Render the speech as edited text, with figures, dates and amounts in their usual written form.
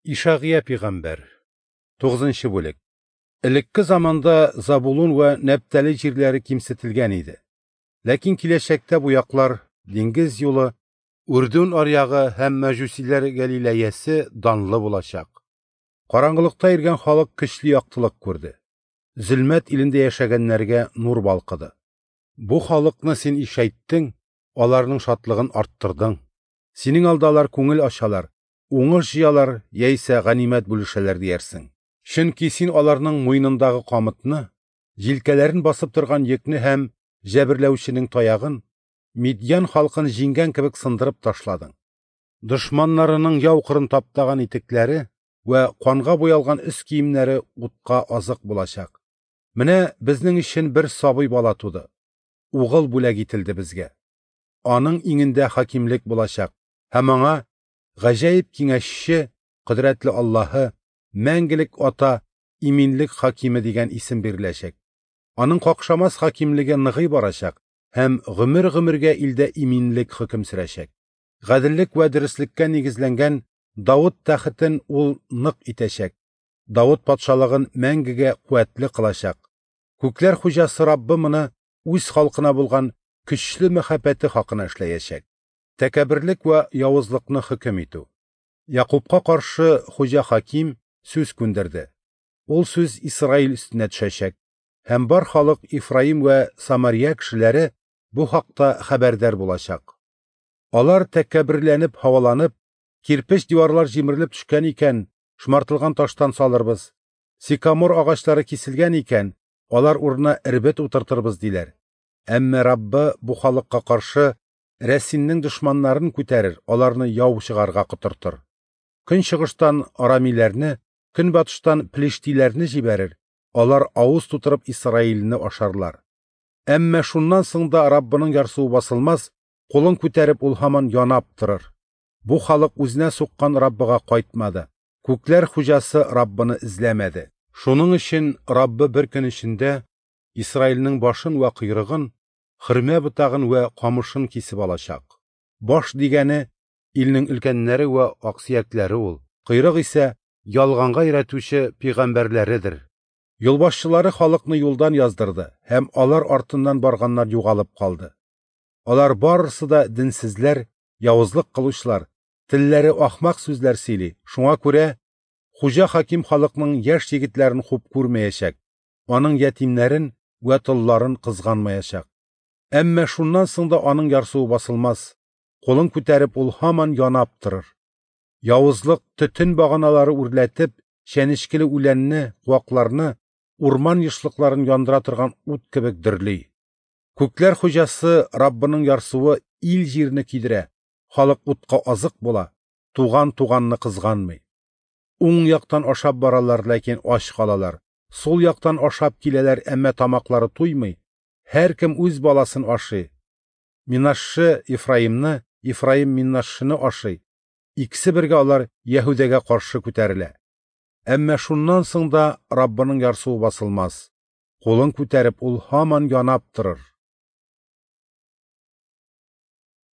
Ишагыя пигамбәр. 9 бүлек. Элекке заманда Забулун вә Нәптали җирләре кимсетелгән иде. Ләкин киләчәктә бу яклар, диңгез юлы, Үрдүн аръягы һәм мәҗүсиләр Гәлиләясе данлы булачак. Караңгылыкта йөргән халык көчле яктылык күрде. Зөлмәт илендә яшәгәннәргә нур балкыды. Бу халыкны син ишәйттең, аларның шатлыгын арттырдың. Синең алда алар күңел ачалар, уңыш җыялар яисә ганимәт бүлешәләр диярсең. Чөнки син аларның муенындагы камытны, җилкәләрен басып торган йөкне һәм җәберләүченең таягын, Мидьян халкын җиңгән кебек сындырып ташладың. Дошманнарының яу кырын таптаган итекләре вә канга буялган өс киемнәре утка азык булачак. Менә безнең өчен бер сабый бала туды. Угыл бүләк ителде безгә. Аның иңендә хакимлек булачак һәм аңа гаҗәеп киңәшче, кодрәтле Аллаһы, мәңгелек ата, иминлек хакиме дигән исем биреләчәк. Аның какшамас хакимлеге ныгый барачак һәм гомер-гомергә илдә иминлек хөкем сөрәчәк. Гаделлек вә дөреслеккә нигезләнгән Давыт тәхетен ул нык итәчәк. Давыт патшалыгын мәңгегә куәтле кылачак. Күкләр хуҗасы Раббы моны үз халкына булган көчле мәхәббәте хакына эшләячәк. Тәкәбберлек вә явызлыкны хөкем итү. Якубка каршы Хуҗа хаким сүз күндерде. Ул сүз Исраил өстенә төшәчәк. Һәм бар халык Ифраим вә Самария кешеләре бу хакта хәбәрдар булачак. Алар тәкәбберләнеп, һаваланып, кирпеч диварлар җимерелеп төшкән икән, шомартылган таштан салырбыз. Сикамор агачлары киселгән икән, алар урынына эрбет утыртырбыз диләр. Әмма Раббы бу халыкка каршы Рәсиннең дошманнарын күтәрер, аларны яу чыгарга котыртыр. Көнчыгыштан арамиләрне, көнбатыштан плештиләрне җибәрер, алар авыз тутырып Исраилне ашарлар. Әмма шуннан соң да Раббының ярсуы басылмас, кулын күтәреп ул һаман янап торыр. Бу халык үзенә суккан Раббыга кайтмады. Күкләр хуҗасы Раббыны эзләмәде. Шуның өчен Раббы бер көн эчендә Исраилнең башын вә койрыгын, хөрмә ботагын вә камышын кисеп алачак. Баш дигәне илнең өлкәннәре вә аксөякләре ул, койрык исә ялганга өйрәтүче пәйгамбәрләредер. Юлбашчылары халыкны юлдан яздырды һәм алар артыннан барганнар югалып калды. Алар барысы да денсезләр, явызлык кылучылар, телләре ахмак сүзләр сөйли. Шуңа күрә Хуҗа хаким халыкның яшь егетләрен хуп күрмәячәк, аның ятимнәрен вә толларын кызганмаячак. Әмма шуннан соң да аның ярсуы басылмас, кулын күтәреп ул һаман янап торыр. Явызлык төтен баганалары үрләтеп, чәнечкеле үләнне, куакларны, урман ешлыкларын яндыра торган ут кебек дөрли. Күкләр хуҗасы Раббының ярсуы ил җирне кидерә, халык утка азык була, туган туганны кызганмый. Уң яктан ашап баралар, ләкин ач калалар. Сул яктан ашап киләләр, әмма тамаклары туймый. Һәркем үз баласын ашый. Минашшы Ифраимны, Ифраим Минашшыны ашый. Икесе бергә алар Яһүдәгә каршы күтәрелә. Әмма шуннан соң да Раббының ярсуы басылмас. Кулын күтәреп ул һаман янап торыр.